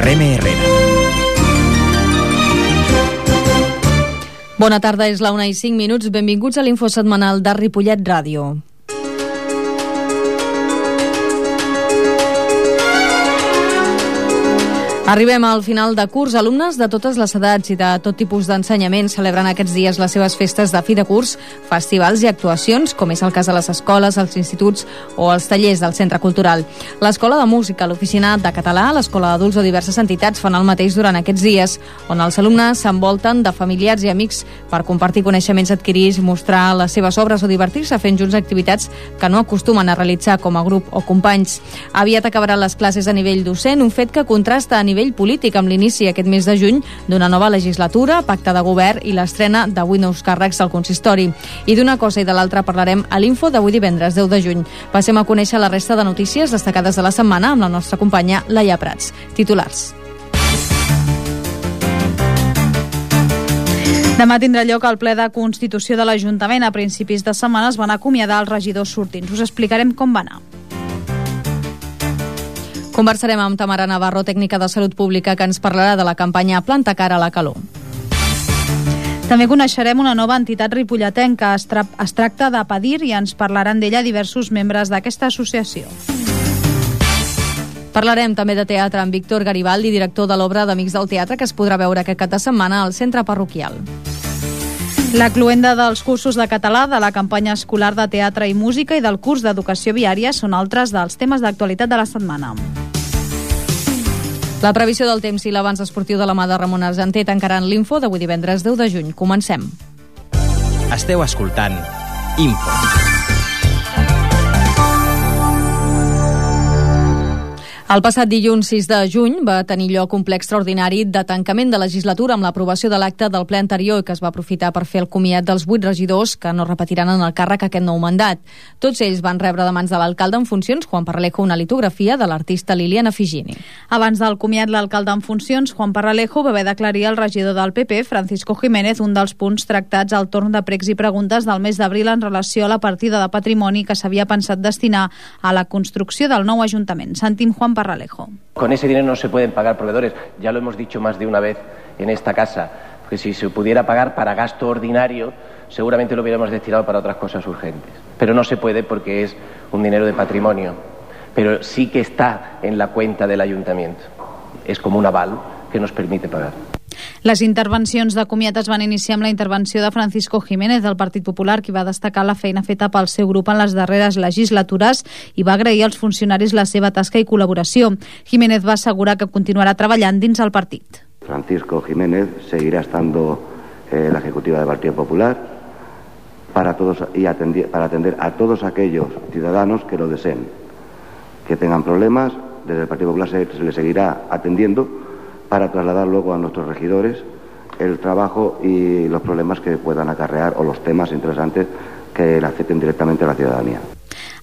Reme Herrera. Bona tarda, és la 1:05. Benvinguts a l'info setmanal de Ripollet Ràdio. Arribem al final de curs. Alumnes de totes les edats i de tot tipus d'ensenyament celebren aquests dies les seves festes de fi de curs, festivals i actuacions, com és el cas de les escoles, els instituts o els tallers del Centre Cultural. L'Escola de Música, l'Oficina de Català, l'Escola d'Adults o diverses entitats fan el mateix durant aquests dies, on els alumnes s'envolten de familiars i amics per compartir coneixements adquirits, mostrar les seves obres o divertir-se fent junts activitats que no acostumen a realitzar com a grup o companys. Aviat acabaran les classes a nivell docent, un fet que contrasta a nivell polític amb l'inici aquest mes de juny d'una nova legislatura, pacte de govern i l'estrena de 8 nous càrrecs al consistori. I d'una cosa i de l'altra parlarem a l'info d'avui divendres 10 de juny. Passem a conèixer la resta de notícies destacades de la setmana amb la nostra companya Laia Prats. Titulars. Demà tindrà lloc el ple de Constitució de l'Ajuntament. A principis de setmana es van acomiadar els regidors sortints. Us explicarem com va anar. Conversarem amb Tamara Navarro, tècnica de Salut Pública, que ens parlarà de la campanya Planta cara a la calor. També coneixerem una nova entitat ripolletenca. Es tracta de Padir i ens parlaran d'ella diversos membres d'aquesta associació. Parlarem també de teatre amb Víctor Garibaldi, director de l'obra d'Amics del Teatre, que es podrà veure aquest cap de setmana al centre parroquial. La cloenda dels cursos de català, de la campanya escolar de teatre i música i del curs d'educació viària són altres dels temes d'actualitat de la setmana. La previsió del temps i l'avanç esportiu de la mà de Ramon Argenter tancaran l'info d'avui divendres 10 de juny. Comencem. Esteu escoltant Info. El passat dilluns 6 de juny va tenir lloc un ple extraordinari de tancament de legislatura amb l'aprovació de l'acte del ple anterior que es va aprofitar per fer el comiat dels 8 regidors que no repetiran en el càrrec aquest nou mandat. Tots ells van rebre de mans de l'alcalde en funcions, Juan Parralejo, una litografia de l'artista Liliana Figini. Abans del comiat, l'alcalde en funcions, Juan Parralejo, va haver d'aclarir al regidor del PP, Francisco Jiménez, un dels punts tractats al torn de pregs i preguntes del mes d'abril en relació a la partida de patrimoni que s'havia pensat destinar a la construcció del nou Ajuntament. Sentim Juan Parralejo. Con ese dinero no se pueden pagar proveedores, ya lo hemos dicho más de una vez en esta casa, que si se pudiera pagar para gasto ordinario, seguramente lo hubiéramos destinado para otras cosas urgentes. Pero no se puede porque es un dinero de patrimonio, pero sí que está en la cuenta del ayuntamiento. Es como un aval que nos permite pagar. Les intervencions de comiat es van iniciar amb la intervenció de Francisco Jiménez del Partit Popular, qui va destacar la feina feta pel seu grup en les darreres legislatures i va agrair als funcionaris la seva tasca i col·laboració. Jiménez va assegurar que continuarà treballant dins el partit. Francisco Jiménez seguirá estando en la ejecutiva del Partido Popular para atender a todos aquellos ciudadanos que lo deseen, que tengan problemas. Desde el Partido Popular se les seguirá atendiendo para trasladar luego a nuestros regidores el trabajo y los problemas que puedan acarrear o los temas interesantes que le afecten directamente a la ciudadanía.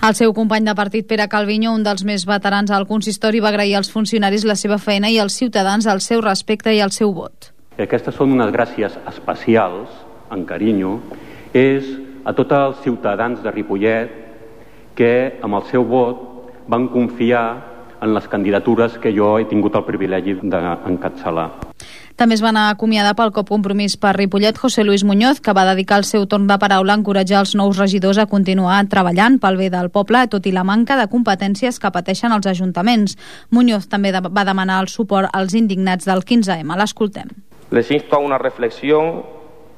El seu company de partit, Pere Calviño, un dels més veterans al consistori, va agrair als funcionaris la seva feina i als ciutadans el seu respecte i el seu vot. Aquestes són unes gràcies especials, en carinyo, és a tots els ciutadans de Ripollet que amb el seu vot van confiar en les candidatures que jo he tingut el privilegi d'encapçalar. També es van acomiadar pel COP Compromís per Ripollet José Luis Muñoz, que va dedicar el seu torn de paraula a encoratjar els nous regidors a continuar treballant pel bé del poble, tot i la manca de competències que pateixen els ajuntaments. Muñoz també va demanar el suport als indignats del 15M. L'escoltem. Les insto a una reflexión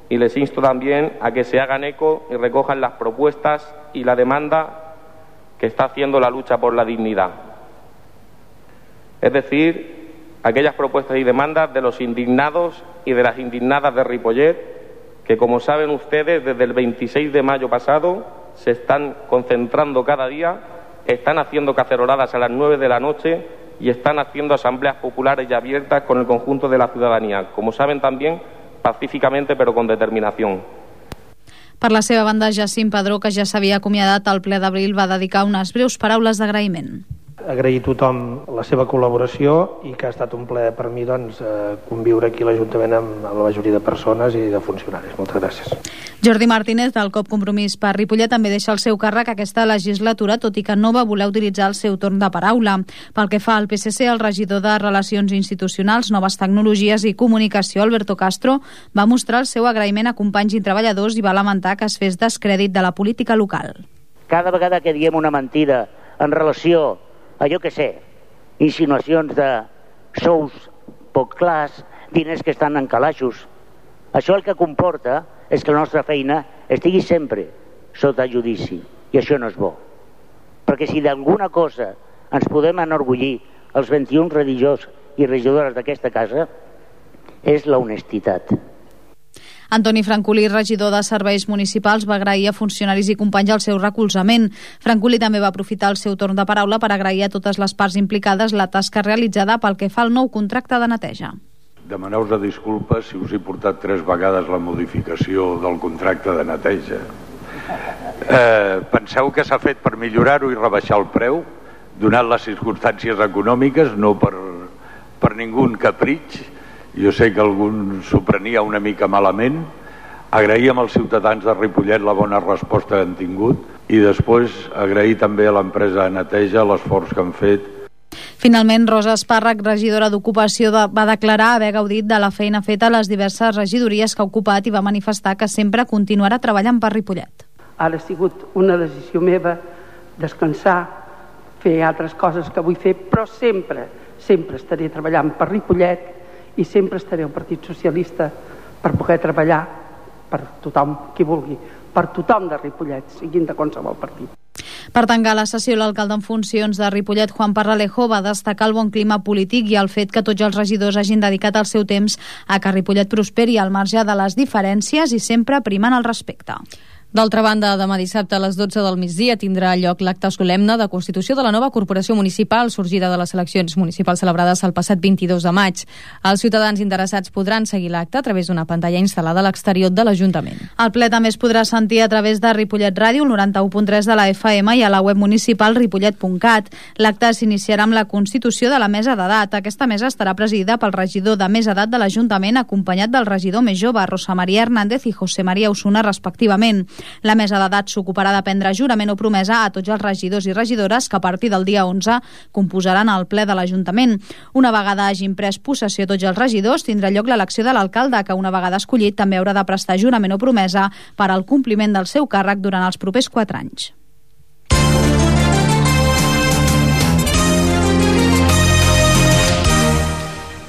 y les insto también a que se hagan eco y recojan las propuestas y la demanda que está haciendo la lucha por la dignidad. Es decir, aquellas propuestas y demandas de los indignados y de las indignadas de Ripollet, que como saben ustedes, desde el 26 de mayo pasado se están concentrando cada día, están haciendo caceroladas a las 9 de la noche y están haciendo asambleas populares y abiertas con el conjunto de la ciudadanía, como saben también, pacíficamente pero con determinación. Per la seva banda, Jacint Padró, que ja s'havia acomiadat al ple d'abril, va dedicar unes breus paraules d'agraïment. Agrair a tothom la seva col·laboració i que ha estat un plaer per mi conviure aquí a l'Ajuntament amb la majoria de persones i de funcionaris. Moltes gràcies. Jordi Martínez, del COP Compromís per Ripollet, també deixa el seu càrrec aquesta legislatura, tot i que no va voler utilitzar el seu torn de paraula. Pel que fa al PSC, el regidor de Relacions Institucionals, Noves Tecnologies i Comunicació, Alberto Castro, va mostrar el seu agraïment a companys i treballadors i va lamentar que es fes descrèdit de la política local. Cada vegada que diem una mentida en relació a, jo què sé, insinuacions de sous poc clars, diners que estan en calaixos, això el que comporta és que la nostra feina estigui sempre sota judici, i això no és bo. Perquè si d'alguna cosa ens podem enorgullir els 21 regidors i regidores d'aquesta casa, és la honestitat. Antoni Francolí, regidor de Serveis Municipals, va agrair a funcionaris i companys el seu recolzament. Francolí també va aprofitar el seu torn de paraula per agrair a totes les parts implicades la tasca realitzada pel que fa al nou contracte de neteja. Demaneu-vos disculpes si us he portat 3 vegades la modificació del contracte de neteja. Penseu que s'ha fet per millorar-ho i rebaixar el preu, donat les circumstàncies econòmiques, no per ningú capritx. Jo sé que algú s'ho prenia una mica malament. Agraïm als ciutadans de Ripollet la bona resposta que han tingut i després agrair també a l'empresa de neteja l'esforç que han fet. Finalment, Rosa Espàrrec, regidora d'Ocupació, va declarar haver gaudit de la feina feta a les diverses regidories que ha ocupat i va manifestar que sempre continuarà treballant per Ripollet. Ara ha sigut una decisió meva descansar, fer altres coses que vull fer, però sempre estaré treballant per Ripollet i sempre estaré al Partit Socialista per poder treballar per tothom qui vulgui, per tothom de Ripollet, siguin de qualsevol partit. Per tancar la sessió, l'alcalde en funcions de Ripollet, Juan Parralejo, va destacar el bon clima polític i el fet que tots els regidors hagin dedicat el seu temps a que Ripollet prosperi al marge de les diferències i sempre primant el respecte. D'altra banda, demà dissabte a les 12 del migdia tindrà lloc l'acte solemne de constitució de la nova corporació municipal sorgida de les eleccions municipals celebrades el passat 22 de maig. Els ciutadans interessats podran seguir l'acte a través d'una pantalla instal·lada a l'exterior de l'Ajuntament. El ple també es podrà sentir a través de Ripollet Ràdio, el 91.3 de la FM i a la web municipal ripollet.cat. L'acte s'iniciarà amb la constitució de la mesa d'edat. Aquesta mesa estarà presidida pel regidor de més edat de l'Ajuntament, acompanyat del regidor més jove, Rosa Maria Hernández i José María Osuna, respectivament. La mesa d'edat s'ocuparà de prendre jurament o promesa a tots els regidors i regidores que a partir del dia 11 composaran el ple de l'Ajuntament. Una vegada hagin pres possessió tots els regidors, tindrà lloc l'elecció de l'alcalde, que una vegada escollit també haurà de prestar jurament o promesa per al compliment del seu càrrec durant els propers 4 anys.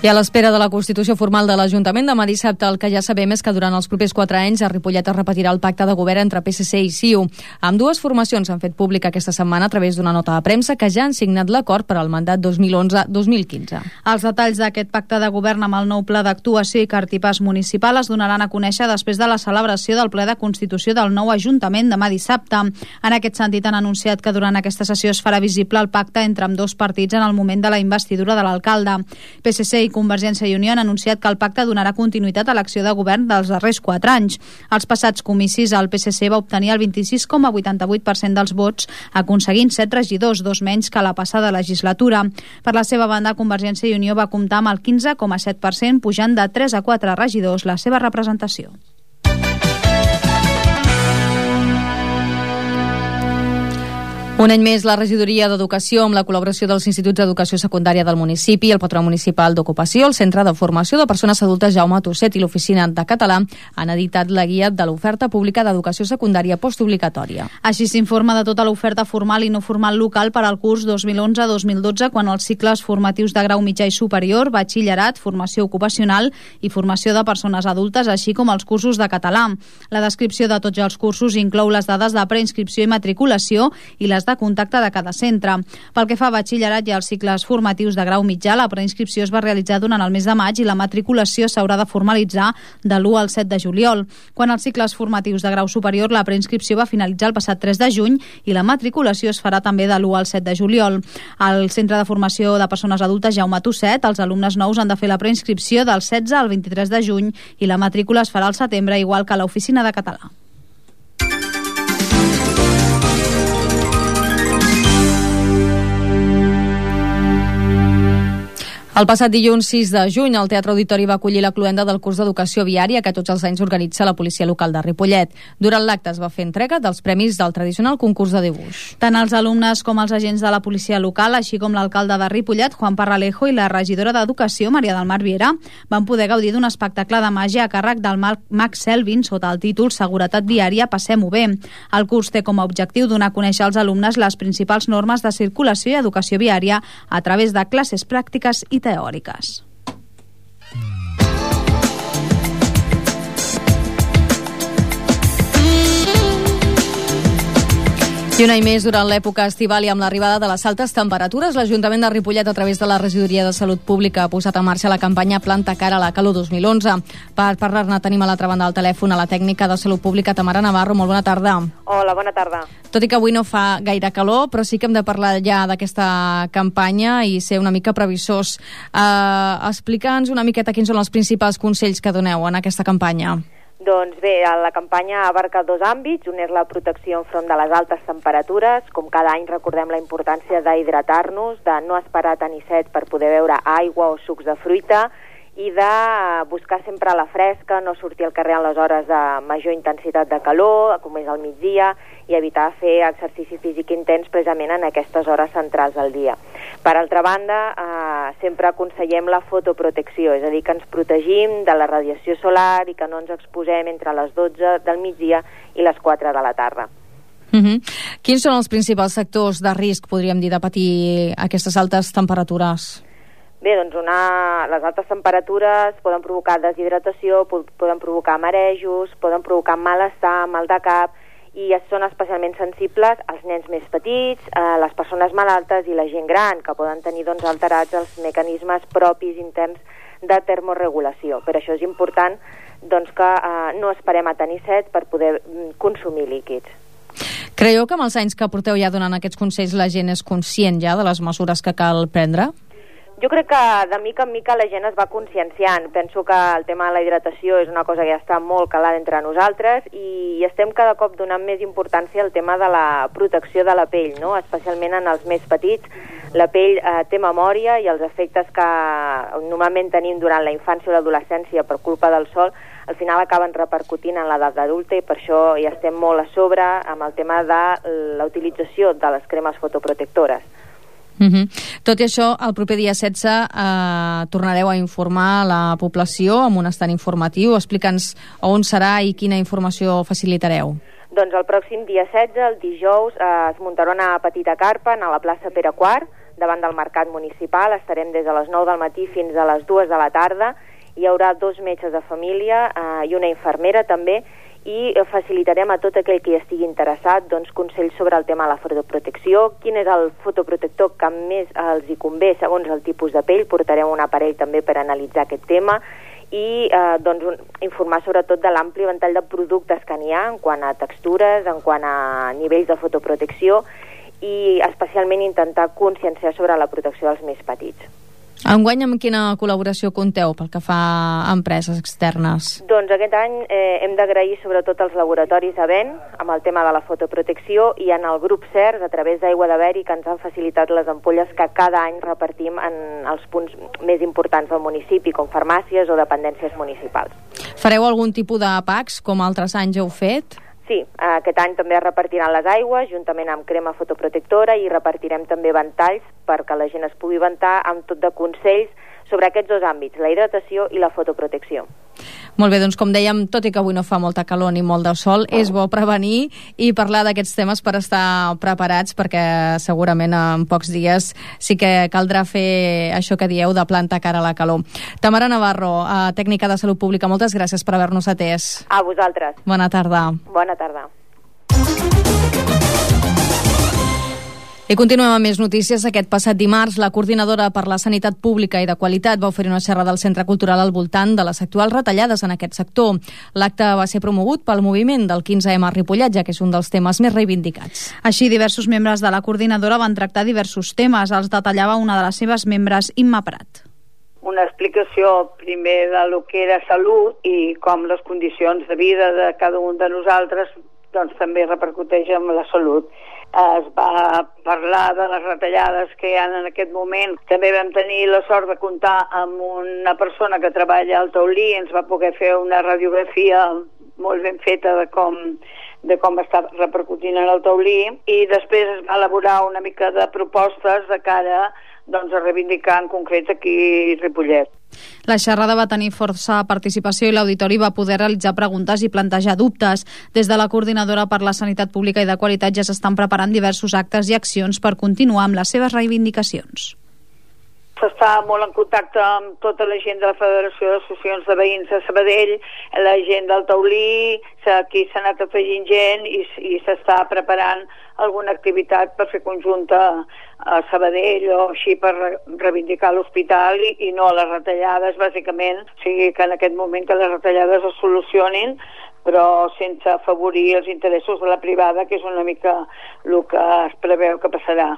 I a l'espera de la constitució formal de l'Ajuntament, demà dissabte el que ja sabem és que durant els propers 4 anys a Ripollet es repetirà el pacte de govern entre PSC i CiU. Ambdues formacions han fet públic aquesta setmana a través d'una nota de premsa que ja han signat l'acord per al mandat 2011-2015. Els detalls d'aquest pacte de govern amb el nou pla d'actuació i cartipàs municipal es donaran a conèixer després de la celebració del ple de constitució del nou Ajuntament demà dissabte. En aquest sentit han anunciat que durant aquesta sessió es farà visible el pacte entre ambdós partits en el moment de la investidura de l'alcalde. PSC i Convergència i Unió han anunciat que el pacte donarà continuïtat a l'acció de govern dels darrers 4 anys. Als passats comicis, el PSC va obtenir el 26,88% dels vots, aconseguint 7 regidors, 2 menys que la passada legislatura. Per la seva banda, Convergència i Unió va comptar amb el 15,7%, pujant de 3 a 4 regidors la seva representació. Un any més, la regidoria d'Educació, amb la col·laboració dels Instituts d'Educació Secundària del municipi, el Patronat Municipal d'Ocupació, el Centre de Formació de Persones Adultes Jaume Tusset i l'Oficina de Català, han editat la guia de l'oferta pública d'educació secundària postobligatòria. Així s'informa de tota l'oferta formal i no formal local per al curs 2011-2012, quan els cicles formatius de grau mitjà i superior, batxillerat, formació ocupacional i formació de persones adultes, així com els cursos de català. La descripció de tots els cursos inclou les dades de preinscripció i matriculació i les de contacte de cada centre. Pel que fa a batxillerat i als cicles formatius de grau mitjà, la preinscripció es va realitzar durant el mes de maig i la matriculació s'haurà de formalitzar de l'1 al 7 de juliol. Quan als cicles formatius de grau superior, la preinscripció va finalitzar el passat 3 de juny i la matriculació es farà també de l'1 al 7 de juliol. Al Centre de Formació de Persones Adultes Jaume Tusset, els alumnes nous han de fer la preinscripció del 16 al 23 de juny i la matrícula es farà al setembre, igual que a l'Oficina de Català. El passat dilluns 6 de juny, el Teatre Auditori va acollir la cloenda del curs d'Educació Viària que tots els anys organitza la policia local de Ripollet. Durant l'acte es va fer entrega dels premis del tradicional concurs de dibuix. Tant els alumnes com els agents de la policia local, així com l'alcalde de Ripollet, Juan Parralejo, i la regidora d'Educació, Maria del Mar Viera, van poder gaudir d'un espectacle de màgia a càrrec del mag Selvin sota el títol Seguretat Viària, passem-ho bé. El curs té com a objectiu donar a conèixer als alumnes les principals normes de circulació i educació viària a través de classes pràctiques i teòriques. I un any més, durant l'època estival i amb l'arribada de les altes temperatures, l'Ajuntament de Ripollet, a través de la Regidoria de Salut Pública, ha posat en marxa la campanya Planta cara a la calor 2011. Per parlar-ne tenim a l'altra banda del telèfon a la tècnica de Salut Pública, Tamara Navarro. Molt bona tarda. Hola, bona tarda. Tot i que avui no fa gaire calor, però sí que hem de parlar ja d'aquesta campanya i ser una mica previsors. Explica'ns una miqueta quins són els principals consells que doneu en aquesta campanya. Doncs bé, la campanya abarca dos àmbits. Un és la protecció enfront de les altes temperatures. Com cada any recordem la importància d'hidratar-nos, de no esperar tenir set per poder beure aigua o sucs de fruita i de buscar sempre la fresca, no sortir al carrer en les hores de major intensitat de calor, com és al migdia, i evitar fer exercici físic intens precisament en aquestes hores centrals del dia. Per altra banda, sempre aconsellem la fotoprotecció, és a dir, que ens protegim de la radiació solar i que no ens exposem entre les 12 del migdia i les 4 de la tarda. Quins són els principals sectors de risc, podríem dir, de patir aquestes altes temperatures? Bé, doncs les altes temperatures poden provocar deshidratació, poden provocar marejos, poden provocar malestar, mal de cap, i són especialment sensibles als nens més petits, les persones malaltes i la gent gran, que poden tenir alterats els mecanismes propis interns de termorregulació. Per això és important que no esperem a tenir set per poder consumir líquids. Creieu que amb els anys que porteu ja donant aquests consells la gent és conscient ja de les mesures que cal prendre? Jo crec que de mica en mica la gent es va conscienciant. Penso que el tema de la hidratació és una cosa que ja està molt calada entre nosaltres i estem cada cop donant més importància al tema de la protecció de la pell, no? Especialment en els més petits. La pell té memòria i els efectes que normalment tenim durant la infància o l'adolescència per culpa del sol al final acaben repercutint en l'edat adulta i per això ja estem molt a sobre amb el tema de la utilització de les cremes fotoprotectores. Tot i això, el proper dia 16 tornareu a informar la població amb un estant informatiu. Explica'ns on serà i quina informació facilitareu. Doncs el pròxim dia 16, el dijous, es muntarà una petita carpa a la plaça Pere IV, davant del mercat municipal. Estarem des de les 9 del matí fins a les 2 de la tarda. Hi haurà 2 metges de família i una infermera també, i facilitarem a tot aquell que hi estigui interessat consells sobre el tema de la fotoprotecció, quin és el fotoprotector que més els hi convé segons el tipus de pell. Portarem un aparell també per analitzar aquest tema i informar sobretot de l'ampli ventall de productes que n'hi ha en quant a textures, en quant a nivells de fotoprotecció i especialment intentar conscienciar sobre la protecció dels més petits. Enguany, amb quina col·laboració compteu pel que fa a empreses externes? Doncs aquest any hem d'agrair sobretot als laboratoris Avent amb el tema de la fotoprotecció i en el grup CERS a través d'Aigua de Beri, que ens han facilitat les ampolles que cada any repartim en els punts més importants del municipi, com farmàcies o dependències municipals. Fareu algun tipus de packs, com altres anys heu fet? Sí, aquest any també es repartiran les aigües juntament amb crema fotoprotectora i repartirem també ventalls perquè la gent es pugui ventar amb tot de consells sobre aquests dos àmbits, la hidratació i la fotoprotecció. Molt bé, doncs com dèiem, tot i que avui no fa molta calor ni molt de sol, és bo prevenir i parlar d'aquests temes per estar preparats, perquè segurament en pocs dies sí que caldrà fer això que dieu de plantar cara a la calor. Tamara Navarro, tècnica de Salut Pública, moltes gràcies per haver-nos atès. A vosaltres. Bona tarda. Bona tarda. I continuem amb més notícies. Aquest passat dimarts, la Coordinadora per la Sanitat Pública i de Qualitat va oferir una xerrada al Centre Cultural al voltant de les actuals retallades en aquest sector. L'acte va ser promogut pel moviment del 15M a Ripollet, ja que és un dels temes més reivindicats. Així, diversos membres de la Coordinadora van tractar diversos temes. Els detallava una de les seves membres, Imma Prat. Una explicació primer de lo que era salut i com les condicions de vida de cada un de nosaltres també repercuteix en la salut. es va parlar de les retallades que hi ha en aquest moment. També vam tenir la sort de comptar amb una persona que treballa al taulí, ens va poder fer una radiografia molt ben feta de com està repercutint en el taulí, i després es va elaborar una mica de propostes de cara a reivindicar en concret aquí Ripollet. La xerrada va tenir força participació i l'auditori va poder realitzar preguntes i plantejar dubtes. Des de la Coordinadora per la Sanitat Pública i de Qualitat ja s'estan preparant diversos actes i accions per continuar amb les seves reivindicacions. S'està molt en contacte amb tota la gent de la Federació d'Associacions de Veïns de Sabadell, la gent del taulí, aquí s'ha anat afegint gent i s'està preparant alguna activitat per fer conjunta a Sabadell o així per reivindicar l'hospital i no les retallades, bàsicament. O sigui que en aquest moment que les retallades es solucionin, però sense afavorir els interessos de la privada, que és una mica el que es preveu que passarà.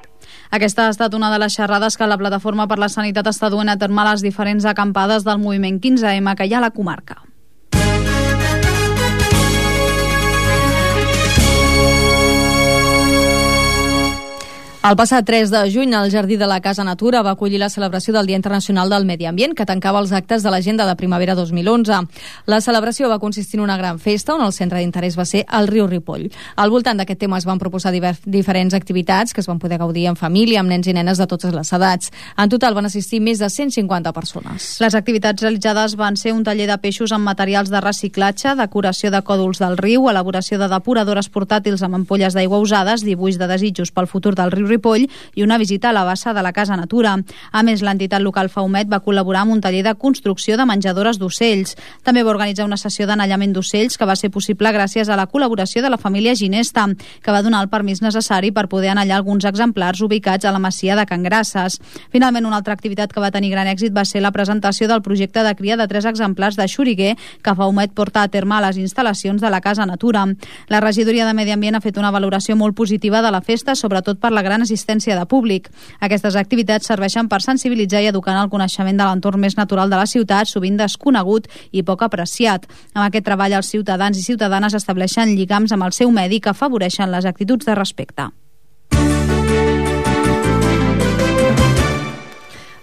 Aquesta ha estat una de les xerrades que la Plataforma per la Sanitat està duent a terme a les diferents acampades del moviment 15M que hi ha a la comarca. El passat 3 de juny, el Jardí de la Casa Natura va acollir la celebració del Dia Internacional del Medi Ambient, que tancava els actes de l'Agenda de Primavera 2011. La celebració va consistir en una gran festa, on el centre d'interès va ser el riu Ripoll. Al voltant d'aquest tema es van proposar diferents activitats que es van poder gaudir en família, amb nens i nenes de totes les edats. En total van assistir més de 150 persones. Les activitats realitzades van ser un taller de peixos amb materials de reciclatge, decoració de còdols del riu, elaboració de depuradores portàtils amb ampolles d'aigua usades, dibuix de desitjos pel futur del riu Ripoll i una visita a la bassa de la Casa Natura. A més, l'entitat local Faumet va col·laborar amb un taller de construcció de menjadores d'ocells. També va organitzar una sessió d'anellament d'ocells que va ser possible gràcies a la col·laboració de la família Ginesta, que va donar el permís necessari per poder anellar alguns exemplars ubicats a la masia de Can Grasses. Finalment, una altra activitat que va tenir gran èxit va ser la presentació del projecte de cria de 3 exemplars de xuriguer que Faumet porta a terme a les instal·lacions de la Casa Natura. La regidoria de Medi Ambient ha fet una valoració molt positiva de la festa, sobretot per la gran assistència de públic. Aquestes activitats serveixen per sensibilitzar i educar en el coneixement de l'entorn més natural de la ciutat, sovint desconegut i poc apreciat. Amb aquest treball, els ciutadans i ciutadanes estableixen lligams amb el seu medi que afavoreixen les actituds de respecte.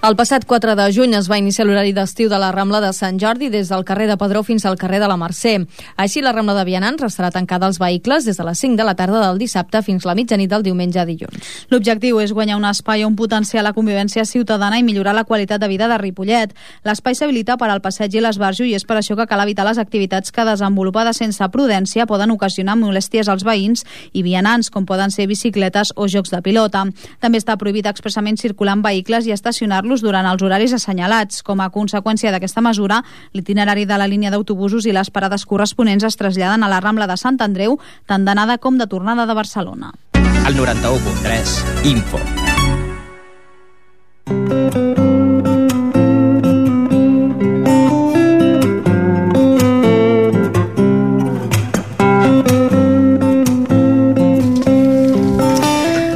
El passat 4 de juny es va iniciar l'horari d'estiu de la Rambla de Sant Jordi des del carrer de Padró fins al carrer de la Mercè. Així, la Rambla de Vianants restarà tancada als vehicles des de les 5 de la tarda del dissabte fins la mitjanit del diumenge a dilluns. L'objectiu és guanyar un espai on potenciar la convivència ciutadana i millorar la qualitat de vida de Ripollet. L'espai s'habilita per al passeig i l'esbarjo i és per això que cal evitar les activitats que, desenvolupades sense prudència, poden ocasionar molèsties als veïns i vianants, com poden ser bicicletes o jocs de pilota. També està prohibit expressament circular amb vehicles i estacionar-los durant els horaris assenyalats. Com a conseqüència d'aquesta mesura, l'itinerari de la línia d'autobusos i les parades corresponents es traslladen a la Rambla de Sant Andreu, tant d'anada com de tornada de Barcelona. El 91.3 Info.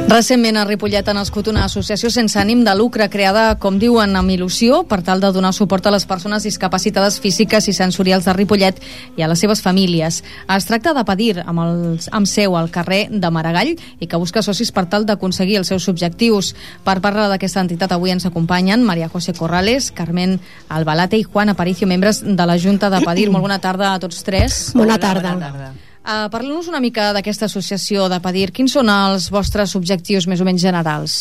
Recentment a Ripollet ha nascut una associació sense ànim de lucre creada, com diuen, amb il·lusió per tal de donar suport a les persones discapacitades físiques i sensorials de Ripollet i a les seves famílies. Es tracta de Padir, amb seu al carrer de Maragall, i que busca socis per tal d'aconseguir els seus objectius. Per parlar d'aquesta entitat avui ens acompanyen María José Corrales, Carmen Albalate i Juan Aparicio, membres de la Junta de Padir. Molt bona tarda a tots tres. Bona tarda. Parlem-nos una mica d'aquesta associació de Padir. Quins són els vostres objectius més o menys generals?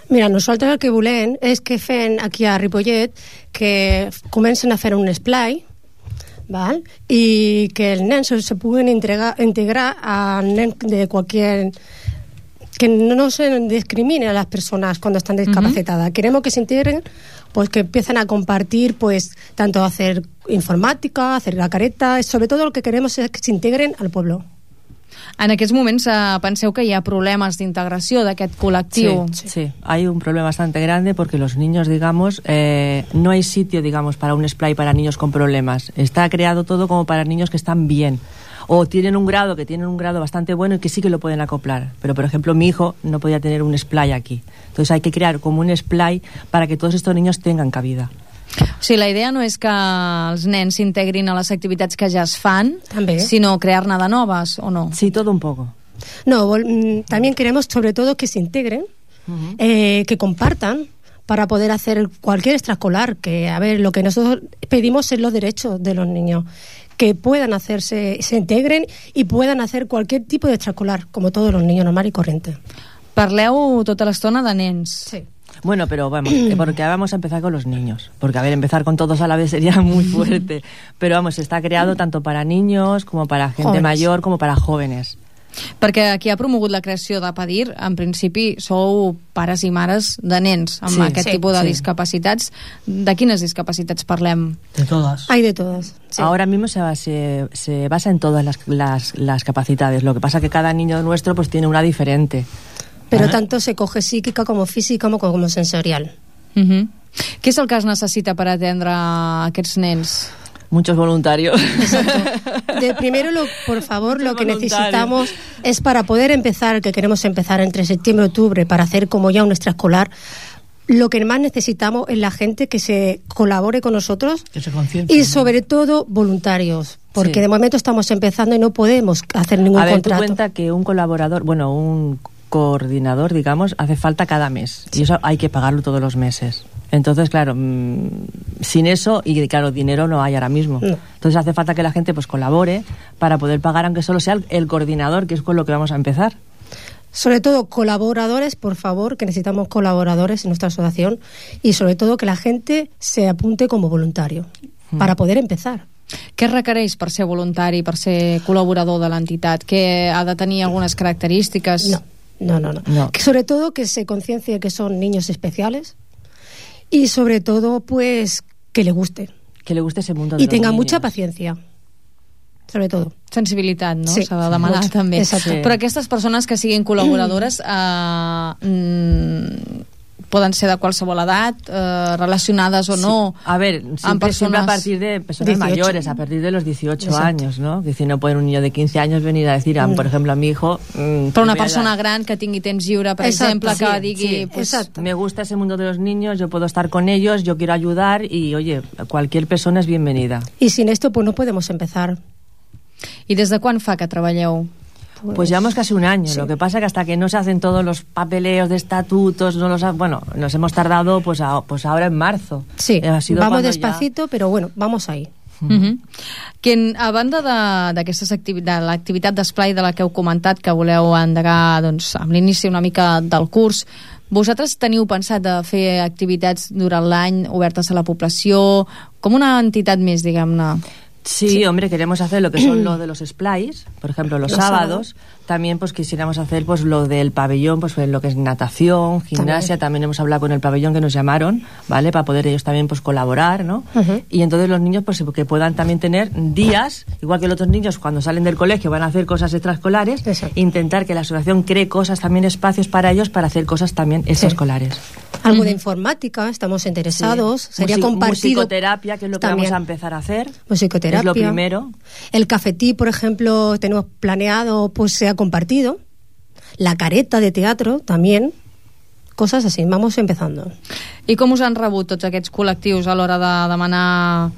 Mira, nosaltres el que volem és que fem aquí a Ripollet que comencen a fer un esplai, val? I que els nens se puguin integrar a nens de qualsevol... que no se discrimine a las personas cuando están discapacitadas. Queremos que se integren, pues que empiecen a compartir, pues tanto hacer informática, hacer la careta, sobre todo lo que queremos es que se integren al pueblo. En aquests moments penseu que hi ha problemes d'integració d'aquest col·lectiu? Sí, hay un problema bastante grande porque los niños, digamos, no hay sitio, digamos, para un splay para niños con problemas. Está creado todo como para niños que están bien. O tienen un grado bastante bueno y que sí que lo pueden acoplar. Pero, por ejemplo, mi hijo no podía tener un splay aquí. Entonces hay que crear como un splay para que todos estos niños tengan cabida. O sigui, la idea no és que els nens s'integrin a les activitats que ja es fan, també, sinó crear-ne de noves, o no? Sí, todo un poco. No, también queremos sobre todo que se integren, que compartan, para poder hacer cualquier extraescolar, que a ver, lo que nosotros pedimos es los derechos de los niños, que puedan hacerse, se integren y puedan hacer cualquier tipo de extraescolar, como todos los niños normal y corriente. Parleu tota l'estona de nens. Sí. Bueno, pero vamos, porque vamos a empezar con los niños, porque a ver, empezar con todos a la vez sería muy fuerte, pero vamos, está creado tanto para niños como para gente Jóvenes. mayor como para jóvenes. Perquè qui ha promogut la creació de PADIR, en principi sou pares i mares de nens amb Sí, aquest sí, tipus de sí. discapacitats. De quines discapacitats parlem? De todas. Hay de todas. Sí. Ahora mismo se basa en todas las capacidades, lo que pasa que cada niño nuestro pues tiene una diferente. Pero tanto se coge psíquica como física como sensorial. Què és el que es necessita per atendre aquests nens? Muchos voluntarios. Primero, por favor, lo que voluntarios. necesitamos es para poder empezar, que queremos empezar entre septiembre y octubre, para hacer como ya un extraescolar, lo que más necesitamos es la gente que se colabore con nosotros Que se conciencie. y sobre todo voluntarios, porque Sí. de momento estamos empezando y no podemos hacer ningún A ver, contrato. tú cuenta que un colaborador, bueno, un coordinador, digamos, hace falta cada mes. Y eso hay que pagarlo todos los meses. Entonces, claro, sin eso, y claro, dinero no hay ahora mismo. No. Entonces hace falta que la gente pues colabore para poder pagar, aunque solo sea el coordinador, que es con lo que vamos a empezar. Sobre todo colaboradores, por favor, que necesitamos colaboradores en nuestra asociación, y sobre todo que la gente se apunte como voluntario para poder empezar. Què requereix per ser voluntari, per ser col·laborador de l'entitat? Que ha de tenir algunes característiques? No. Que sobre todo que se conciencie que son niños especiales y sobre todo pues que le guste. Que le guste ese mundo de Y los tenga niños. mucha paciencia. Sobre todo. Sensibilitat, no? Sí. S'ha de demanar Molt. també. Exacte. Però aquestes persones que siguin col·laboradores poden ser de qualsevol edat, relacionades o no. A ver, siempre a partir de personas 18. mayores, a partir de los 18 Exacto. años, ¿no? Es decir, no puede un niño de 15 años venir a decir, por ejemplo, a mi hijo... Però una persona gran que tingui temps lliure, per exemple, que digui... pues, me gusta ese mundo de los niños, yo puedo estar con ellos, yo quiero ayudar y, oye, cualquier persona es bienvenida. Y sin esto pues no podemos empezar. I des de quan fa que treballeu? Pues llevamos casi un año. Lo que pasa que hasta que no se hacen todos los papeleos de estatutos, nos hemos tardado pues ahora en marzo. Sí, Ha sido vamos cuando despacito, pero bueno, vamos ahí. Que a banda de l'activitat d'esplai de la que heu comentat, que voleu endegar doncs, amb l'inici una mica del curs, vosaltres teniu pensat de fer activitats durant l'any obertes a la població, com una entitat més, diguem-ne? Sí, hombre, queremos hacer lo que son lo de los splays, por ejemplo, los sábados. También pues quisiéramos hacer pues lo del pabellón, pues lo que es natación, gimnasia. También hemos hablado con el pabellón que nos llamaron, ¿vale? Para poder ellos también pues colaborar, ¿no? Y entonces los niños pues que puedan también tener días, igual que los otros niños cuando salen del colegio van a hacer cosas extraescolares, intentar que la asociación cree cosas, también espacios para ellos para hacer cosas también extraescolares. Algo de informática, estamos interesados. Sí. Sería compartido. Musicoterapia, que es lo que también. vamos a empezar a hacer. Musicoterapia. Es lo primero. El cafetí, por ejemplo, tenemos planeado, pues sea compartido. La careta de teatro también. Cosas así, vamos empezando. I com us han rebut tots aquests col·lectius a l'hora de demanar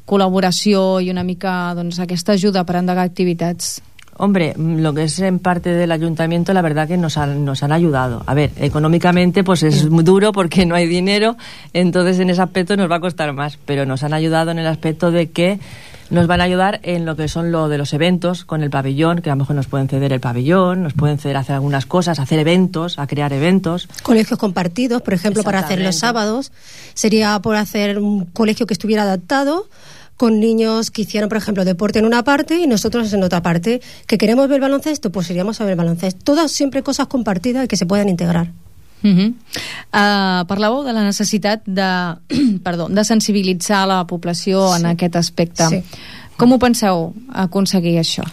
col·laboració i una mica doncs, aquesta ajuda per endegar activitats? Hombre, lo que es en parte del ayuntamiento, la verdad que nos han ayudado. A ver, económicamente pues es muy duro porque no hay dinero, entonces en ese aspecto nos va a costar más, pero nos han ayudado en el aspecto de que nos van a ayudar en lo que son lo de los eventos con el pabellón, que a lo mejor nos pueden ceder el pabellón, nos pueden ceder hacer algunas cosas, hacer eventos, a crear eventos. Colegios compartidos, por ejemplo, para hacer los sábados. Sería por hacer un colegio que estuviera adaptado con niños que hicieron, por ejemplo, deporte en una parte y nosotros en otra parte. ¿Que queremos ver baloncesto? Pues iríamos a ver baloncesto. Todas siempre cosas compartidas y que se puedan integrar. Parlàveu de la necessitat de sensibilitzar la població en aquest aspecte. Sí. Com ho penseu aconseguir això?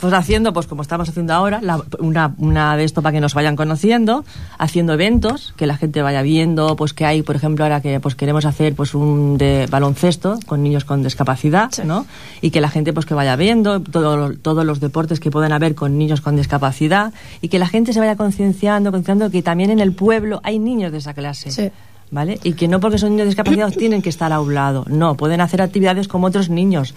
Pues haciendo, pues como estamos haciendo ahora, una de esto para que nos vayan conociendo, haciendo eventos, que la gente vaya viendo, pues que hay, por ejemplo, ahora que pues queremos hacer pues un de baloncesto con niños con discapacidad, ¿no? Y que la gente pues que vaya viendo todos los deportes que pueden haber con niños con discapacidad y que la gente se vaya concienciando que también en el pueblo hay niños de esa clase. Sí. ¿Vale? Y que no porque son niños discapacitados tienen que estar a un lado, no, pueden hacer actividades como otros niños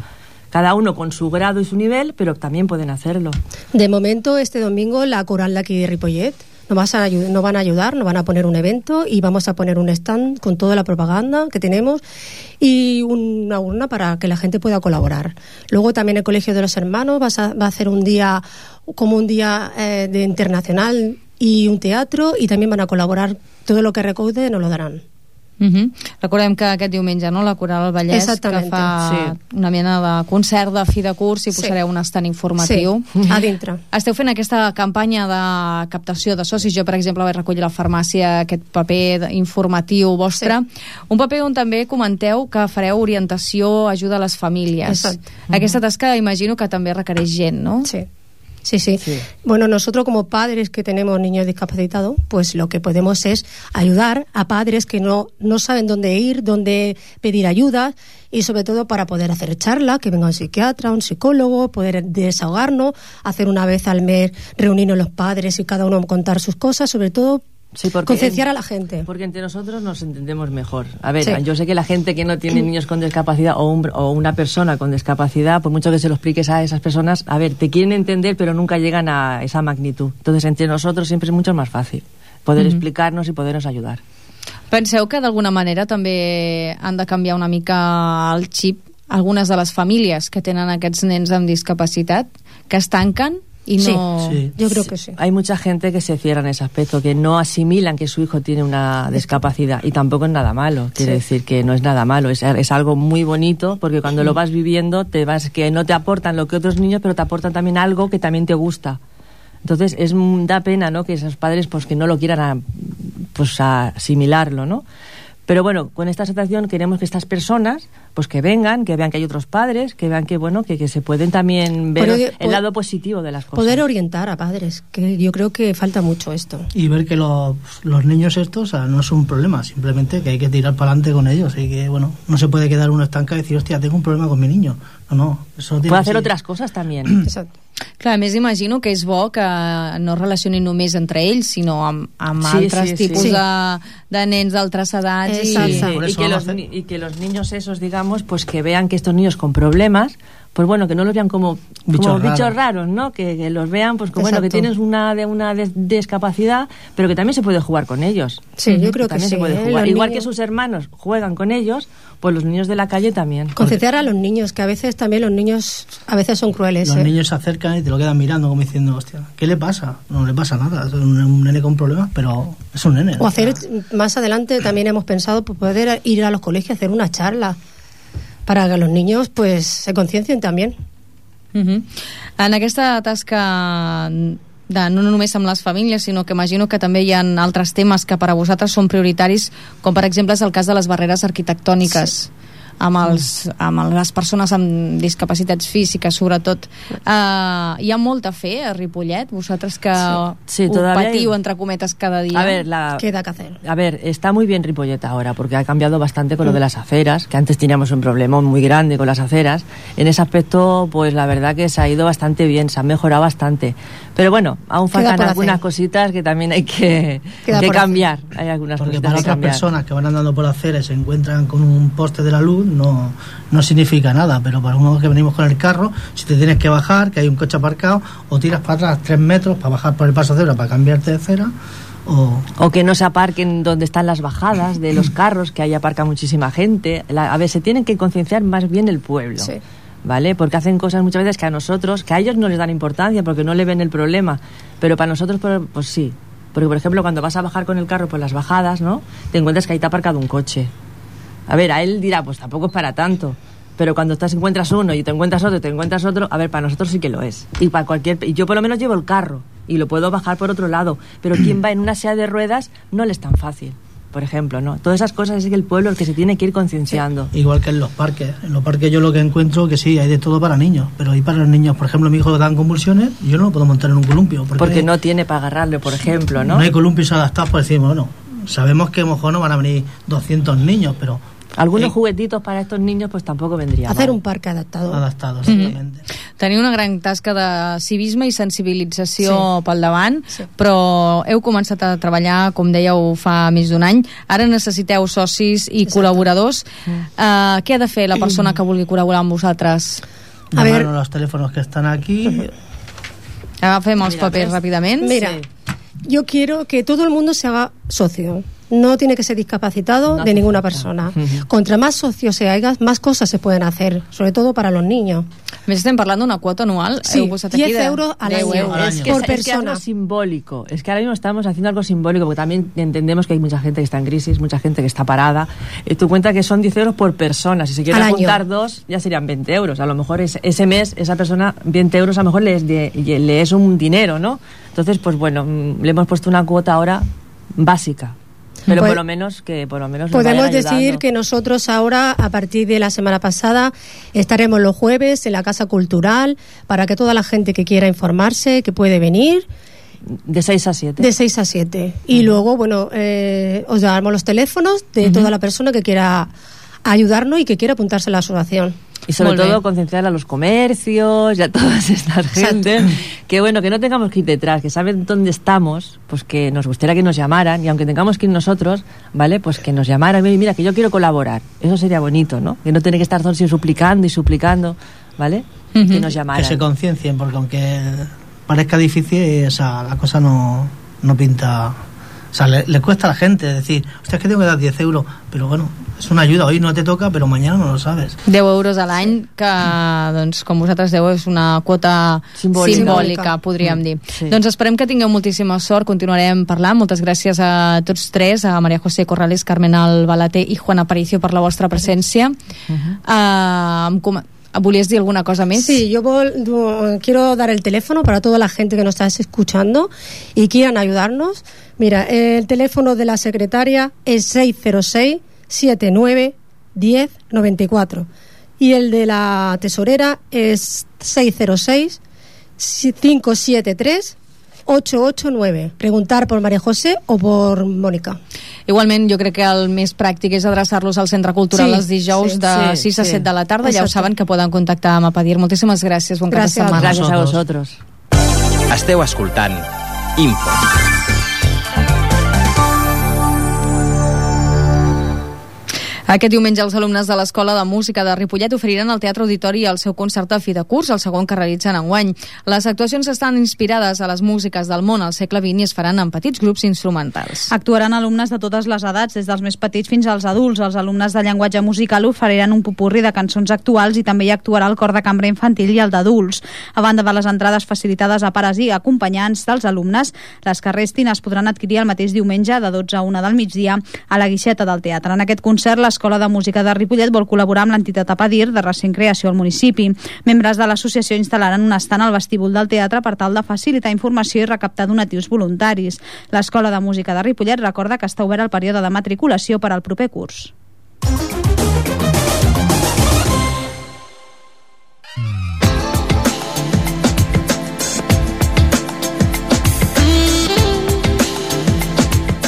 cada uno con su grado y su nivel, pero también pueden hacerlo. De momento, este domingo, la coral de aquí de Ripollet nos van a ayudar, nos van a poner un evento y vamos a poner un stand con toda la propaganda que tenemos y una urna para que la gente pueda colaborar. Luego también el Colegio de los Hermanos va a hacer un día de internacional y un teatro, i també van a col·laborar, tot el que recaude nos lo daran. Recordem que aquest diumenge, no?, la Coral del Vallès, que fa una mena de concert de fi de curs i posareu un estant informatiu. Sí, a dintre. Esteu fent aquesta campanya de captació de socis. Jo, per exemple, vaig recollir a la farmàcia aquest paper informatiu vostre. Un paper on també comenteu que fareu orientació, ajuda a les famílies. Aquesta tasca imagino que també requereix gent, no? Sí. Bueno, nosotros como padres que tenemos niños discapacitados, pues lo que podemos es ayudar a padres que no saben dónde ir, dónde pedir ayuda, y sobre todo para poder hacer charlas, que venga un psiquiatra, un psicólogo, poder desahogarnos, hacer una vez al mes reunirnos los padres y cada uno contar sus cosas, sobre todo concienciar a la gente. Porque entre nosotros nos entendemos mejor. A ver, yo sé que la gente que no tiene niños con discapacidad o una persona con discapacidad, por mucho que se lo expliques a esas personas, a ver, te quieren entender pero nunca llegan a esa magnitud. Entonces entre nosotros siempre es mucho más fácil poder explicarnos i poder-nos ayudar. Penseu que d'alguna manera també han de canviar una mica el xip algunes de les famílies que tenen aquests nens amb discapacitat, que es tanquen y no... Sí, yo creo que sí. Hay mucha gente que se cierra en ese aspecto, que no asimilan que su hijo tiene una discapacidad, y tampoco es nada malo. Quiere decir que no es nada malo, es algo muy bonito, porque cuando lo vas viviendo que no te aportan lo que otros niños, pero te aportan también algo que también te gusta. Entonces da pena, ¿no?, que esos padres pues que no lo quieran asimilarlo, ¿no? Pero bueno, con esta asociación queremos que estas personas pues que vengan, que vean que hay otros padres, que vean que bueno, que se pueden también ver el lado positivo de las cosas. Poder orientar a padres, que yo creo que falta mucho esto. Y ver que los niños estos, no es un problema, simplemente que hay que tirar para adelante con ellos, y que bueno, no se puede quedar uno estancado y decir, hostia, tengo un problema con mi niño. No, eso tiene puede hacer otras cosas también. Exacto. Clar, a més imagino que és bo que no es relacionin només entre ells, sinó amb altres tipus de nens d'altres edats. Y que los niños esos, digamos, pues que vean que estos niños con problemas, pues bueno, que no los vean como bichos raros, ¿no? Que los vean, pues que bueno, que tienes una discapacidad, pero que también se puede jugar con ellos. Sí, yo creo que también sí. Se puede jugar. Igual que sus hermanos juegan con ellos, pues los niños de la calle también. Concienciar a los niños, que a veces también los niños son crueles. Los niños se acercan y te lo quedan mirando como diciendo, hostia, ¿qué le pasa? No le pasa nada, es un nene con problemas, pero es un nene. O hacer, más adelante también hemos pensado poder ir a los colegios a hacer una charla para que los niños pues se conciencien també. En aquesta tasca no només amb les famílies, sinó que imagino que també hi ha altres temes que per a vosaltres són prioritaris, com per exemple és el cas de les barreres arquitectòniques amb les persones amb discapacitats físiques, sobretot. Hi ha molt a fer a Ripollet, vosaltres que ho patiu, entre cometes, cada día. Queda que hacer. A ver, está muy bien Ripollet ahora, porque ha cambiado bastante con lo de las aceras, que antes teníamos un problema muy grande con las aceras. En ese aspecto, pues la verdad que se ha ido bastante bien, se ha mejorado bastante. Pero bueno, aún faltan algunas cositas que también hay que cambiar. Hay algunas porque cositas para que otras cambiar. Personas que van andando por la acera y se encuentran con un poste de la luz, no significa nada, pero para uno que venimos con el carro, si te tienes que bajar, que hay un coche aparcado, o tiras para atrás 3 metros para bajar por el paso de cebra para cambiarte de acera, o que no se aparquen donde están las bajadas de los carros, que ahí aparca muchísima gente. A ver, se tienen que concienciar más bien el pueblo. ¿Vale? Porque hacen cosas muchas veces que a ellos no les dan importancia porque no le ven el problema, pero para nosotros pues sí, porque por ejemplo cuando vas a bajar con el carro por las bajadas, ¿no?, te encuentras que ahí te ha aparcado un coche. A ver, a él dirá, pues tampoco es para tanto, pero cuando encuentras uno y te encuentras otro, a ver, para nosotros sí que lo es. Y yo por lo menos llevo el carro y lo puedo bajar por otro lado, pero quien va en una silla de ruedas no le es tan fácil, por ejemplo, ¿no? Todas esas cosas es que el pueblo es el que se tiene que ir concienciando. Igual que en los parques. En los parques yo lo que encuentro que sí, hay de todo para niños, pero hay para los niños, por ejemplo, mi hijo le dan convulsiones y yo no lo puedo montar en un columpio. Porque no tiene para agarrarle, por ejemplo, ¿no? No hay columpios adaptados, pues decimos, bueno, sabemos que a lo mejor no van a venir 200 niños, pero algunos juguetitos para estos niños pues tampoco vendría hacer mal. Un parc adaptado, exactamente. Teniu una gran tasca de civisme i sensibilització pel davant, però heu començat a treballar, com dèieu, fa més d'un any. Ara necessiteu socis i col·laboradors. Què ha de fer la persona que vulgui col·laborar amb vosaltres? llamaron a los teléfonos que están aquí. Agafem els papers ràpidament. Mira, yo quiero que todo el mundo se haga socio. No tiene que ser discapacitado de ninguna persona. Contra más socios se hagas, más cosas se pueden hacer, sobre todo para los niños. Me estem parlant d'una quota anual. Sí, 10 euros al año por persona. Es que algo simbólico. Es que ahora mismo estamos haciendo algo simbólico, porque también entendemos que hay mucha gente que está en crisis, mucha gente que está parada. Tú cuenta que son 10 euros por persona. Si se quieren juntar dos, ya serían 20 euros. A lo mejor ese mes, esa persona, 20 euros, a lo mejor le es un dinero, ¿no? Entonces, pues bueno, le hemos puesto una cuota ahora básica. Pero por lo menos podemos decir que nosotros ahora, a partir de la semana pasada, estaremos los jueves en la Casa Cultural para que toda la gente que quiera informarse, que puede venir. De 6 a 7. De 6 a 7. Y luego, bueno, os damos los teléfonos de toda la persona que quiera ayudarnos y que quiera apuntarse a la asociación. Y sobre todo concienciar a los comercios y a todas estas gente que bueno, que no tengamos que ir detrás, que saben dónde estamos, pues que nos gustaría que nos llamaran, y aunque tengamos que ir nosotros, ¿vale? Pues que nos llamaran, mira, que yo quiero colaborar. Eso sería bonito, ¿no? Que no tener que estar todos suplicando, ¿vale? Que nos llamaran. Que se conciencien, porque aunque parezca difícil, la cosa no pinta. O sea, le cuesta a la gente decir, hostia, es que tengo que dar 10 euros, pero bueno, és una ajuda, hoy no te toca, però mañana no lo sabes. 10 euros a l'any, que, doncs, com vosaltres deu, és una quota simbòlica, podríem dir. Sí. Doncs esperem que tingueu moltíssima sort, continuarem parlant. Moltes gràcies a tots tres, a María José Corrales, Carmen Albalaté i Juan Aparicio per la vostra presència. ¿Volies dir alguna cosa més? Sí, yo quiero dar el teléfono para toda la gente que nos está escuchando y quieran ayudarnos. Mira, el teléfono de la secretaria es 606 79 10 94 y el de la tesorera es 606 573 889. Preguntar por María José o por Mónica. Igualment, jo crec que el més pràctic és adreçar-los al Centre Cultural els dijous de 6 a 7 de la tarda. Ja ho saben, que poden contactar amb Apadir. Moltíssimes gràcies. Bon cap de setmana. Gràcies a vosaltres. Esteu escoltant Info. Aquest diumenge els alumnes de l'Escola de Música de Ripollet oferiran al Teatre Auditori el seu concert de fi de curs, el segon que realitzen enguany. Les actuacions estan inspirades a les músiques del món al segle XX i es faran en petits grups instrumentals. Actuaran alumnes de totes les edats, des dels més petits fins als adults. Els alumnes de llenguatge musical oferiran un popurri de cançons actuals i també hi actuarà el cor de cambra infantil i el d'adults. A banda de les entrades facilitades a pares i acompanyants dels alumnes, les que restin es podran adquirir el mateix diumenge de 12 a 1 del migdia a la guixeta del teatre. En aquest concert, l'Escola de Música de Ripollet vol col·laborar amb l'entitat Apadir, de recent creació al municipi. Membres de l'associació instal·laran un estant al vestíbul del teatre per tal de facilitar informació i recaptar donatius voluntaris. L'Escola de Música de Ripollet recorda que està obert el període de matriculació per al proper curs.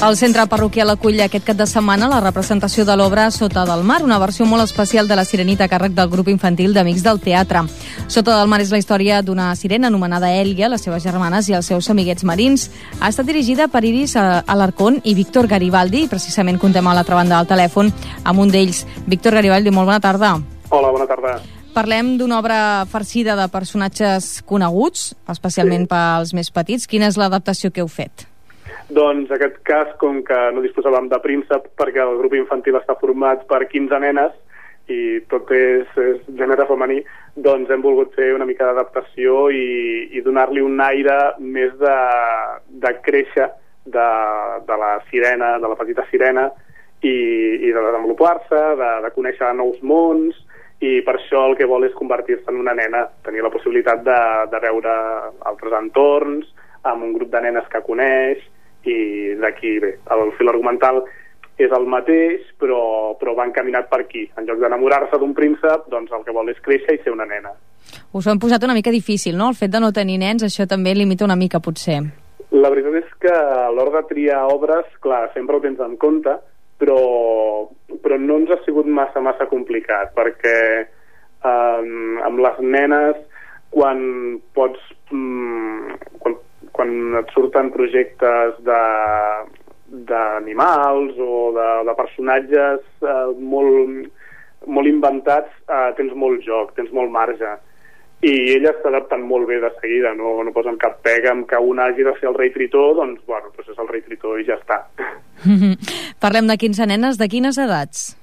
El centre parroquial acull aquest cap de setmana la representació de l'obra Sota del mar, una versió molt especial de la Sirenita a càrrec del grup infantil d'Amics del Teatre. Sota del mar és la història d'una sirena anomenada Èlia, les seves germanes i els seus amiguets marins. Ha estat dirigida per Iris Alarcón i Víctor Garibaldi, i precisament contem a l'altra banda del telèfon amb un d'ells. Víctor Garibaldi, molt bona tarda. Hola, bona tarda. Parlem d'una obra farcida de personatges coneguts, especialment pels més petits. Quina és l'adaptació que heu fet? Doncs en aquest cas, com que no disposàvem de príncep, perquè el grup infantil està format per 15 nenes i tot és gènere femení, doncs hem volgut fer una mica d'adaptació i donar-li un aire més de créixer de la sirena, de la petita sirena, i de desenvolupar-se, de conèixer nous mons, i per això el que vol és convertir-se en una nena, tenir la possibilitat de veure altres entorns, amb un grup de nenes que coneix, i d'aquí bé, el fil argumental és el mateix, però va encaminat per aquí. En lloc d'enamorar-se d'un príncep, doncs el que vol és créixer i ser una nena. Us ho hem posat una mica difícil, no? El fet de no tenir nens, això també limita una mica, potser. La veritat és que a l'hora de triar obres, clar, sempre ho tens en compte, però no ens ha sigut massa complicat, perquè amb les nenes, quan et surten projectes d'animals o de personatges molt inventats, tens molt joc, tens molt marge. i elles s'adapten molt bé de seguida, no posen cap pega amb que un hagi de ser el rei Tritó, doncs és el rei Tritó i ja està. Parlem de 15 nenes, de quines edats?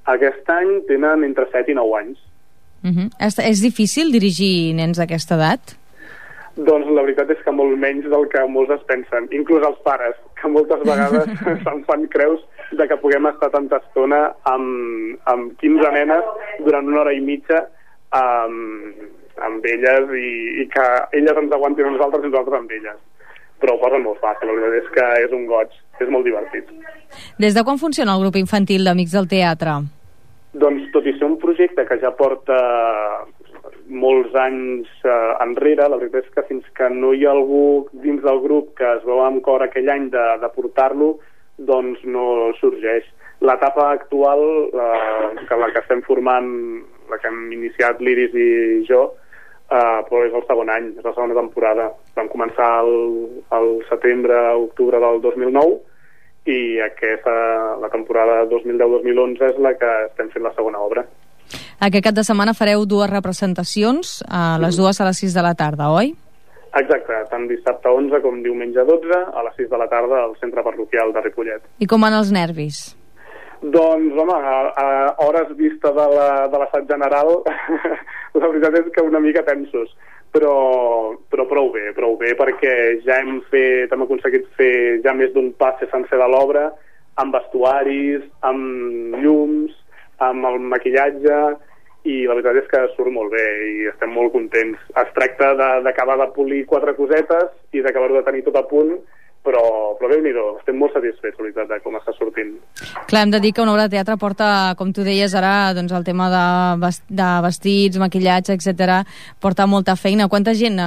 Aquest any tenen entre 7 i 9 anys. És difícil dirigir nens d'aquesta edat? Doncs la veritat és que molt menys del que molts es pensen, inclús els pares, que moltes vegades se'n fan creus de que puguem estar tanta estona amb 15 nenes durant 1 hora i mitja amb elles i que elles ens aguantin a nosaltres i nosaltres amb elles. Però ho posen molt fàcil, la veritat és que és un goig, és molt divertit. Des de quan funciona el grup infantil d'Amics del Teatre? Doncs tot i ser un projecte que ja porta molts anys enrere, la veritat és que fins que no hi ha algú dins del grup que es veu amb cor aquell any de portar-lo, doncs no sorgeix. L'etapa actual, la que estem formant, la que hem iniciat l'Iris i jo, però és el segon any, és la segona temporada. Vam començar el setembre-octubre del 2009 i la temporada 2010-2011 és la que estem fent la segona obra. Aquest cap de setmana fareu 2 representacions, les dues a les 6 de la tarda, oi? Exacte, tant dissabte 11 com diumenge 12, a les 6 de la tarda al centre parroquial de Ripollet. I com van els nervis? Doncs, home, a hores vista de l'assaig general, la veritat és que una mica tensos, però prou bé, perquè ja hem aconseguit fer ja més d'un passe sencer de l'obra, amb vestuaris, amb llums, amb el maquillatge, i la veritat és que surt molt bé i estem molt contents. Es tracta d'acabar de polir 4 cosetes i d'acabar-ho de tenir tot a punt, però Déu-n'hi-do, estem molt satisfets, la veritat, de com està sortint. Clar, hem de dir que una obra de teatre porta, com tu deies ara, doncs el tema de vestits, maquillatge, etc. porta molta feina. Quanta gent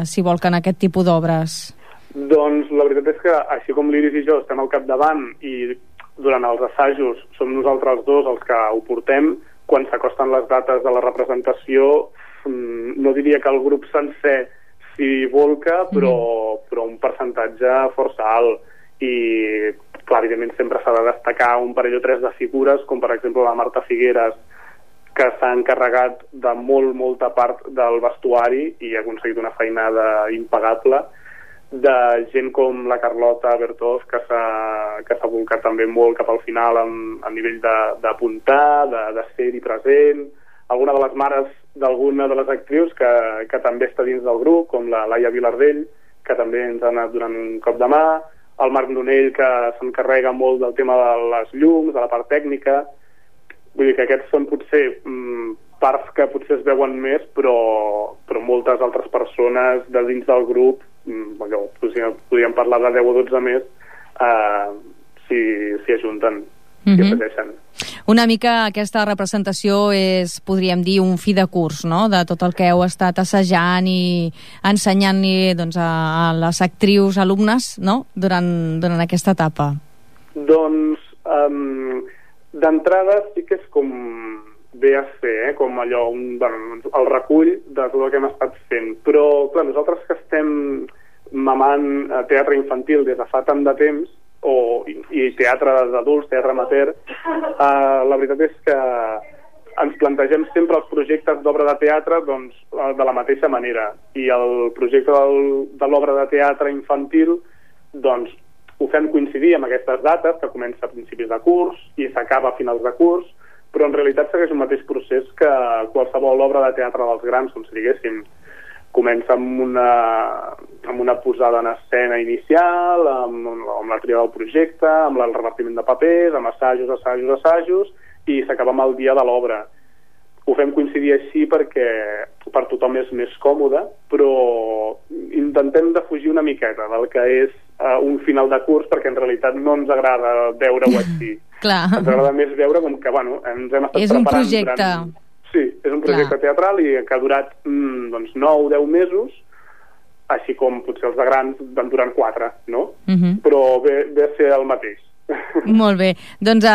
s'hi volca en aquest tipus d'obres? Doncs la veritat és que, així com l'Iris i jo estem al capdavant i durant els assajos som nosaltres dos els que ho portem, quan s'acosten les dates de la representació, no diria que el grup sencer s'hi volca, però un percentatge força alt. I, clar, evidentment sempre s'ha de destacar un parell o 3 de figures, com per exemple la Marta Figueres, que s'ha encarregat de molta part del vestuari i ha aconseguit una feinada impagable, de gent com la Carlota Bertós, que s'ha volcat també molt cap al final a nivell d'apuntar, de ser-hi present, alguna de les mares d'alguna de les actrius que també està dins del grup, com la Laia Vilardell, que també ens ha anat donant un cop de mà, el Marc Nonell, que s'encarrega molt del tema de les llums, de la part tècnica. Vull dir que aquests són potser parts que potser es veuen més, però moltes altres persones de dins del grup, podríem parlar de 10 o 12 més, s'hi ajunten i afegeixen. Una mica aquesta representació és, podríem dir, un fi de curs, no?, de tot el que heu estat assajant i ensenyant-li doncs, a les actrius, alumnes, no?, durant aquesta etapa. Doncs, d'entrada sí que és com ve a ser, com allò, el recull de tot el que hem estat fent. Però, clar, nosaltres que estem mamant teatre infantil des de fa tant de temps, i teatre d'adults, teatre amateur, la veritat és que ens plantegem sempre els projectes d'obra de teatre doncs, de la mateixa manera, i el projecte de l'obra de teatre infantil doncs, ho fem coincidir amb aquestes dates, que comença a principis de curs i s'acaba a finals de curs, però en realitat segueix un mateix procés que qualsevol obra de teatre dels grans, com si diguéssim. Comença amb una posada en escena inicial, amb la tria del projecte, amb el repartiment de papers, amb assajos, i s'acaba amb el dia de l'obra. Ho fem coincidir així perquè per tothom és més còmode, però intentem defugir una miqueta del que és un final de curs, perquè en realitat no ens agrada veure-ho així. Clar. Ens agrada més veure com que, ens hem estat preparant... És un projecte... Sí, és un projecte teatral i que ha durat 9 o 10 mesos, així com potser els de grans van durar 4, no? Però ve a ser el mateix. Molt bé. Doncs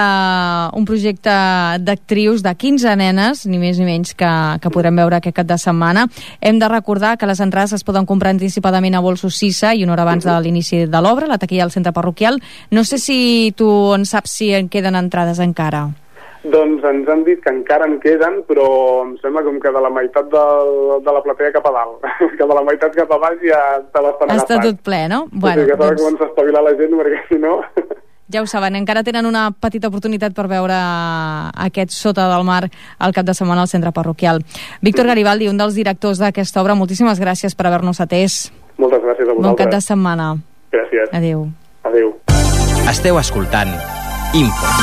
un projecte d'actrius de 15 nenes, ni més ni menys, que podrem veure aquest cap de setmana. Hem de recordar que les entrades es poden comprar anticipadament a Bolsos Sissa i una hora abans de l'inici de l'obra, la taquilla al centre parroquial. No sé si tu en saps si en queden entrades encara. doncs ens han dit que encara en queden, però em sembla com que de la meitat de la platea cap a dalt, que de la meitat cap a baix ja està bastant agafat. Està tot ple, no? Bueno, que s'ha de començar a espavilar la gent, perquè si no... Ja ho saben, encara tenen una petita oportunitat per veure aquest Sota del Mar al cap de setmana al centre parroquial. Víctor Garibaldi, un dels directors d'aquesta obra, moltíssimes gràcies per haver-nos atès. Moltes gràcies a vosaltres. Bon cap de setmana. Gràcies. Adéu. Adéu. Esteu escoltant Info.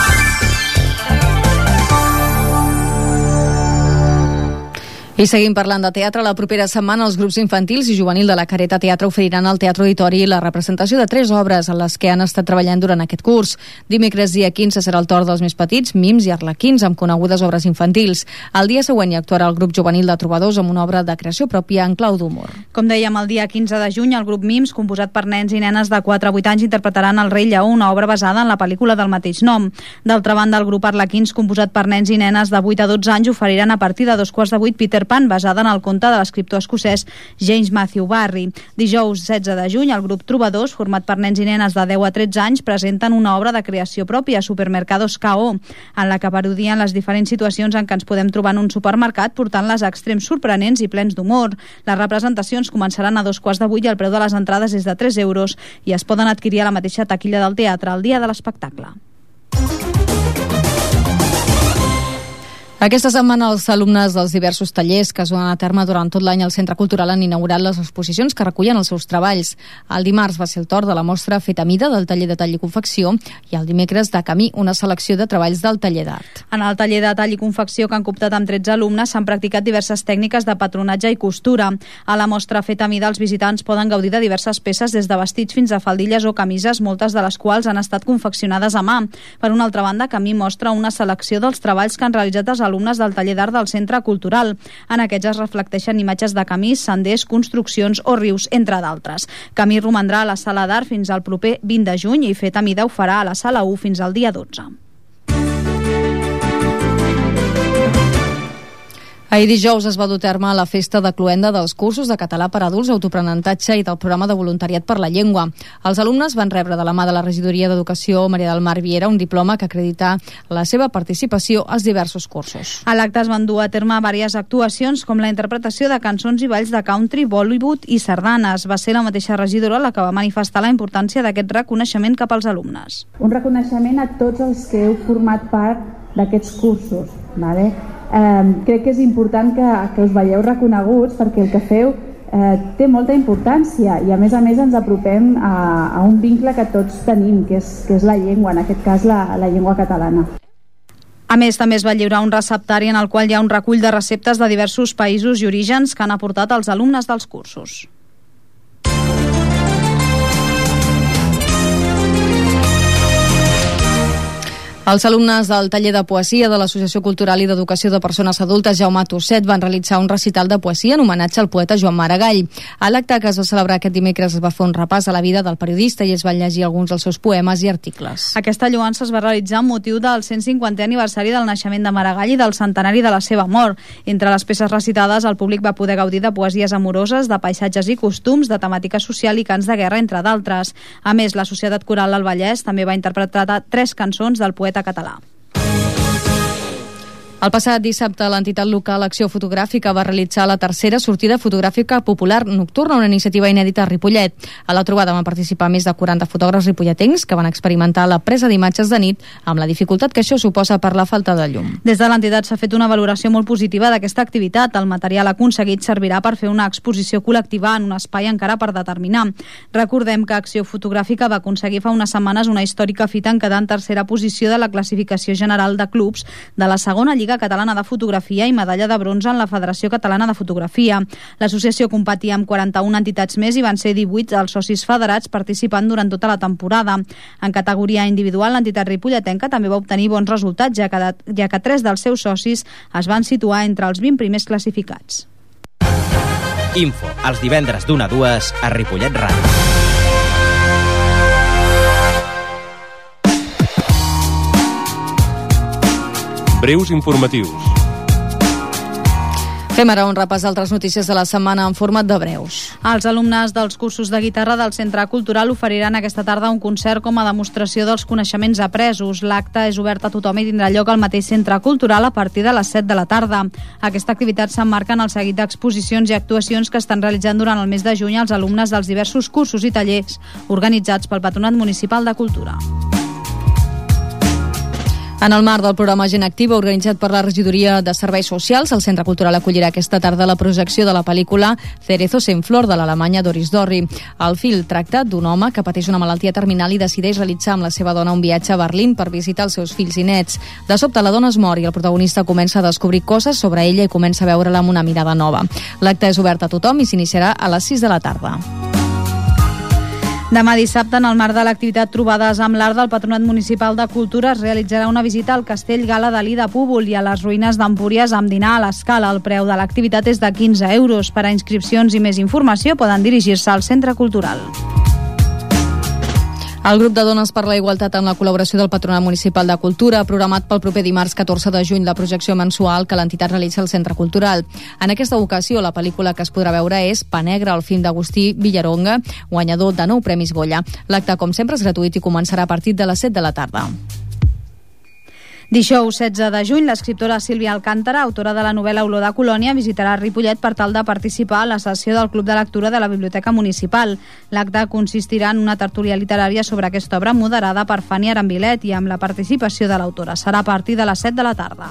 I seguim parlant de teatre. La propera setmana els grups infantils i juvenil de la Careta Teatre oferiran al Teatre Auditori la representació de 3 obres en les que han estat treballant durant aquest curs. Dimecres dia 15 serà el torn dels més petits, mims i arlequins, amb conegudes obres infantils. El dia següent hi actuarà el grup juvenil de trobadors amb una obra de creació pròpia en clau d'humor. Com dèiem, el dia 15 de juny, el grup Mims, composat per nens i nenes de 4 a 8 anys, interpretaran El rei lleó, una obra basada en la pel·lícula del mateix nom. D'altra banda, el grup Arlequins, composat per nens i nenes de 8 a 12 anys, oferiran a partir de 2:15 Peter Pan, basada en el conte de l'escriptor escocès James Matthew Barrie. Dijous 16 de juny, el grup Trobadors, format per nens i nenes de 10 a 13 anys, presenten una obra de creació pròpia, Supermercados K.O., en la que parodien les diferents situacions en què ens podem trobar en un supermercat, portant-les a extrems sorprenents i plens d'humor. Les representacions començaran a 2:15 i el preu de les entrades és de 3 euros i es poden adquirir a la mateixa taquilla del teatre el dia de l'espectacle. Aquesta setmana els alumnes dels diversos tallers que es duen a terme durant tot l'any al Centre Cultural han inaugurat les exposicions que recullen els seus treballs. El dimarts va ser el torn de la mostra Fet a mida del taller de tall i confecció i el dimecres de Camí, una selecció de treballs del taller d'art. En el taller de tall i confecció que han cooptat amb 13 alumnes s'han practicat diverses tècniques de patronatge i costura. A la mostra Fet a mida els visitants poden gaudir de diverses peces des de vestits fins a faldilles o camises, moltes de les quals han estat confeccionades a mà. Per una altra banda, Camí mostra una selecció dels treballs que han realitzat els alumnes del taller d'art del Centre Cultural. En aquests es reflecteixen imatges de camins, senders, construccions o rius, entre d'altres. Camí romandrà a la sala d'art fins al proper 20 de juny i Fet a mida ho farà a la sala 1 fins al dia 12. Ahir dijous es va dur a terme la festa de cloenda dels cursos de català per adults, autoaprenentatge i del programa de voluntariat per la llengua. Els alumnes van rebre de la mà de la regidoria d'Educació Maria del Mar Viera un diploma que acredita la seva participació als diversos cursos. A l'acte es van dur a terme diverses actuacions com la interpretació de cançons i balls de country, Bollywood i sardanes. Va ser la mateixa regidora la que va manifestar la importància d'aquest reconeixement cap als alumnes. Un reconeixement a tots els que heu format part d'aquests cursos, ¿vale? Crec que és important que us veieu reconeguts perquè el que feu té molta importància i a més ens apropem a un vincle que tots tenim, que és la llengua, en aquest cas la llengua catalana. A més, també es va lliurar un receptari en el qual hi ha un recull de receptes de diversos països i orígens que han aportat els alumnes dels cursos. Els alumnes del taller de poesia de l'Associació Cultural i d'Educació de Persones Adultes Jaume Tosset van realitzar un recital de poesia en homenatge al poeta Joan Maragall. A l'acte que es va celebrar aquest dimecres es va fer un repàs a la vida del periodista i es van llegir alguns dels seus poemes i articles. Aquesta lloança es va realitzar amb motiu del 150è aniversari del naixement de Maragall i del centenari de la seva mort. Entre les peces recitades, el públic va poder gaudir de poesies amoroses, de paisatges i costums, de temàtica social i cants de guerra, entre d'altres. A més, la Societat Coral del Vallès també va interpretar 3 cançons del poeta català. El passat dissabte, l'entitat local Acció Fotogràfica va realitzar la tercera sortida fotogràfica popular nocturna, una iniciativa inèdita a Ripollet. A la trobada van participar més de 40 fotògrafs ripolletens que van experimentar la presa d'imatges de nit amb la dificultat que això suposa per la falta de llum. Des de l'entitat s'ha fet una valoració molt positiva d'aquesta activitat. El material aconseguit servirà per fer una exposició col·lectiva en un espai encara per determinar. Recordem que Acció Fotogràfica va aconseguir fa unes setmanes una històrica fita en quedar en tercera posició de la classificació general de clubs de la segona Lliga Catalana de Fotografia i medalla de bronze en la Federació Catalana de Fotografia. L'associació competia amb 41 entitats més i van ser 18 els socis federats participant durant tota la temporada. En categoria individual, l'entitat ripolletenca també va obtenir bons resultats, ja que 3 dels seus socis es van situar entre els 20 primers classificats. Info, els divendres d'1 a 2 a Ripollet Ràdio. Breus informatius. Fem ara un repàs d'altres notícies de la setmana en format de breus. Els alumnes dels cursos de guitarra del Centre Cultural oferiran aquesta tarda un concert com a demostració dels coneixements apresos. L'acte és obert a tothom i tindrà lloc al mateix Centre Cultural a partir de les 7 de la tarda. Aquesta activitat s'emmarca en el seguit d'exposicions i actuacions que estan realitzant durant el mes de juny els alumnes dels diversos cursos i tallers organitzats pel Patronat Municipal de Cultura. En el marc del programa Gent Activa, organitzat per la Regidoria de Serveis Socials, el Centre Cultural acollirà aquesta tarda la projecció de la pel·lícula Cerezos en Flor, de l'alemanya Doris Dorry. El film tracta d'un home que pateix una malaltia terminal i decideix realitzar amb la seva dona un viatge a Berlín per visitar els seus fills i nets. De sobte, la dona es mor i el protagonista comença a descobrir coses sobre ella i comença a veure-la amb una mirada nova. L'acte és obert a tothom i s'iniciarà a les 6 de la tarda. Demà dissabte, en el marc de l'activitat Trobades amb l'Art del Patronat Municipal de Cultura, es realitzarà una visita al Castell Gala Dalí de Púbol i a les ruïnes d'Empúries amb dinar a l'Escala. El preu de l'activitat és de 15 euros. Per a inscripcions i més informació poden dirigir-se al Centre Cultural. El grup de Dones per la Igualtat, amb la col·laboració del Patronat Municipal de Cultura, ha programat pel proper dimarts 14 de juny la projecció mensual que l'entitat realitza al Centre Cultural. En aquesta ocasió, la pel·lícula que es podrà veure és Pa Negre, el film d'Agustí Villaronga, guanyador de 9 Premis Goya. L'acte, com sempre, és gratuït i començarà a partir de les 7 de la tarda. Dijous 16 de juny, l'escriptora Sílvia Alcántara, autora de la novel·la Olor de Colònia, visitarà Ripollet per tal de participar a la sessió del Club de Lectura de la Biblioteca Municipal. L'acte consistirà en una tertúlia literària sobre aquesta obra moderada per Fanny Arambilet i amb la participació de l'autora. Serà a partir de les 7 de la tarda.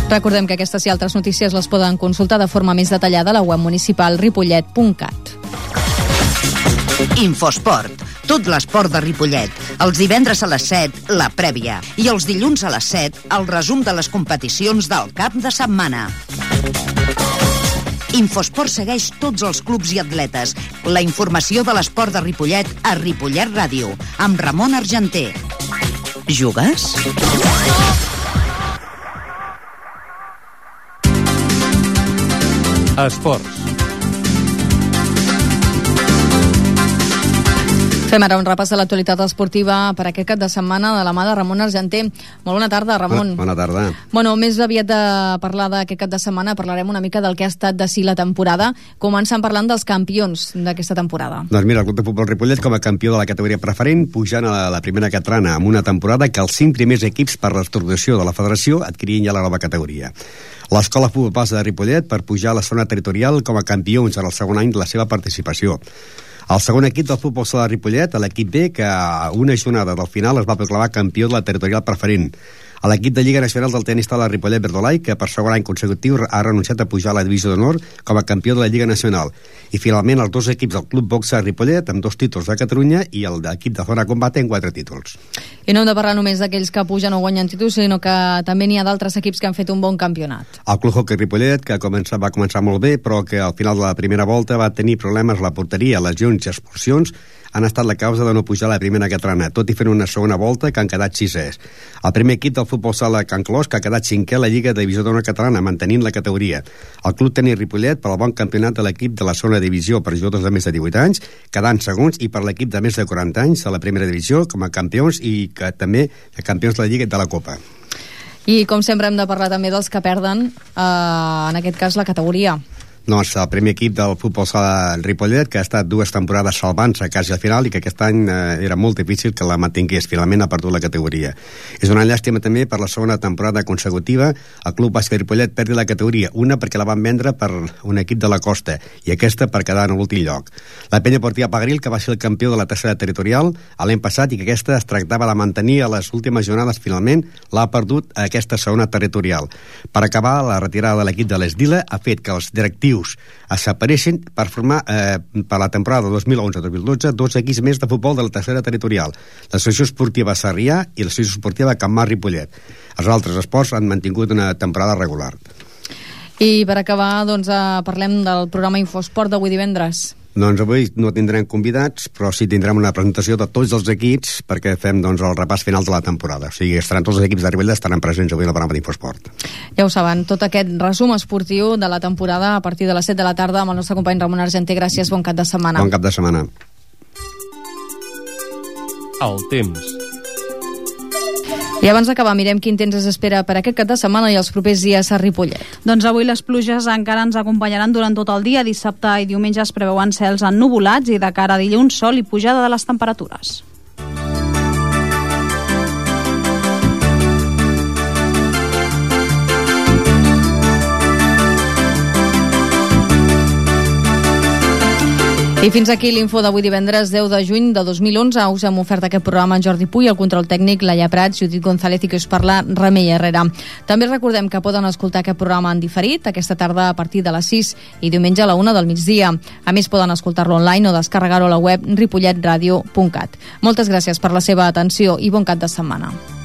Recordem que aquestes i altres notícies les poden consultar de forma més detallada a la web municipal ripollet.cat. Infosport. Tot l'esport de Ripollet. Els divendres a les 7, la prèvia. I els dilluns a les 7, el resum de les competicions del cap de setmana. Infosport segueix tots els clubs i atletes. La informació de l'esport de Ripollet a Ripollet Ràdio, amb Ramon Argenter. Jugues? Esports. Fem ara un repàs de l'actualitat esportiva per aquest cap de setmana de la mà de Ramon Argenter. Molt bona tarda, Ramon. Bona tarda. Bueno, més aviat de parlar d'aquest cap de setmana, parlarem una mica del que ha estat de si la temporada, començant parlant dels campions d'aquesta temporada. Doncs mira, el Club de Futbol Ripollet, com a campió de la categoria preferent, pujant a la primera catalana amb una temporada que els 5 primers equips per reestructuració de la federació adquirien ja la nova categoria. L'Escola Futbol Base de Ripollet per pujar a la zona territorial com a campions en el segon any de la seva participació. El segon equip del futbol sala de Ripollet, l'equip B, que a una jornada del final es va proclamar campió de la territorial preferent. A l'equip de Lliga Nacional del tenis taula Ripollet Verdolai, que per segon any consecutiu ha renunciat a pujar a la divisió d'honor com a campió de la Lliga Nacional. I finalment els dos equips del Club Boxa Ripollet amb 2 títols de Catalunya i el d'equip de Zona Combate amb 4 títols. I no hem de parlar només d'aquells que pugen o guanyen títols, sinó que també n'hi ha d'altres equips que han fet un bon campionat. El Club Hockey Ripollet, que va començar molt bé, però que al final de la primera volta va tenir problemes a la porteria, lesions i expulsions, han estat la causa de no pujar a la primera catalana, tot i fent una segona volta que han quedat 6è. El primer equip del futbol sala Can Clos, que ha quedat 5è a la Lliga de Divisió d'Honor Catalana, mantenint la categoria. El Club Tenis Ripollet, per al bon campionat de l'equip de la segona divisió per jugadors de més de 18 anys, quedant segons, i per l'equip de més de 40 anys a la primera divisió com a campions i que també campions de la Lliga i de la Copa. I com sempre hem de parlar també dels que perden, en aquest cas la categoria. Doncs el primer equip del futbol sala Ripollet, que ha estat 2 temporades salvant-se quasi al final i que aquest any era molt difícil que la mantingués. Finalment ha perdut la categoria. És una llàstima també per la segona temporada consecutiva. El Club Bàsquet Ripollet perdi la categoria, una perquè la van vendre per un equip de la costa i aquesta per quedar en l'últim lloc. La Penya Esportiva Pagaril, que va ser el campió de la tercera territorial l'any passat i que aquesta es tractava de mantenir a les últimes jornades, finalment l'ha perdut a aquesta segona territorial. Per acabar, la retirada de l'equip de l'Esdila ha fet que els directius es separeixen per formar per la temporada 2011-2012 2 equips més de futbol de la tercera territorial, l'Associació Esportiva Sarrià i l'Associació Esportiva Can Mar Ripollet. Els altres esports han mantingut una temporada regular. I per acabar, doncs, parlem del programa Infosport d'avui divendres. Doncs avui no tindrem convidats, però sí tindrem una presentació de tots els equips perquè fem doncs, el repàs final de la temporada. O sigui, estaran tots els equips de Ripollet estaran presents avui en el programa d'Infosport. Ja ho saben, tot aquest resum esportiu de la temporada a partir de les 7 de la tarda amb el nostre company Ramon Argenter. Gràcies, bon cap de setmana. Bon cap de setmana. El temps. I abans d'acabar, mirem quin temps es espera per aquest cap de setmana i els propers dies a Ripollet. Doncs avui les pluges encara ens acompanyaran durant tot el dia. Dissabte i diumenge es preveuen cels ennuvolats i de cara a dilluns sol i pujada de les temperatures. I fins aquí l'info d'avui divendres 10 de juny de 2011. Us hem ofert aquest programa en Jordi Puy, el control tècnic, Laia Prats, Judit González i que us parla, Remei Herrera. També recordem que poden escoltar aquest programa en diferit aquesta tarda a partir de les 6 i diumenge a la 1 del migdia. A més, poden escoltar-lo online o descarregar-ho a la web ripolletradio.cat. Moltes gràcies per la seva atenció i bon cap de setmana.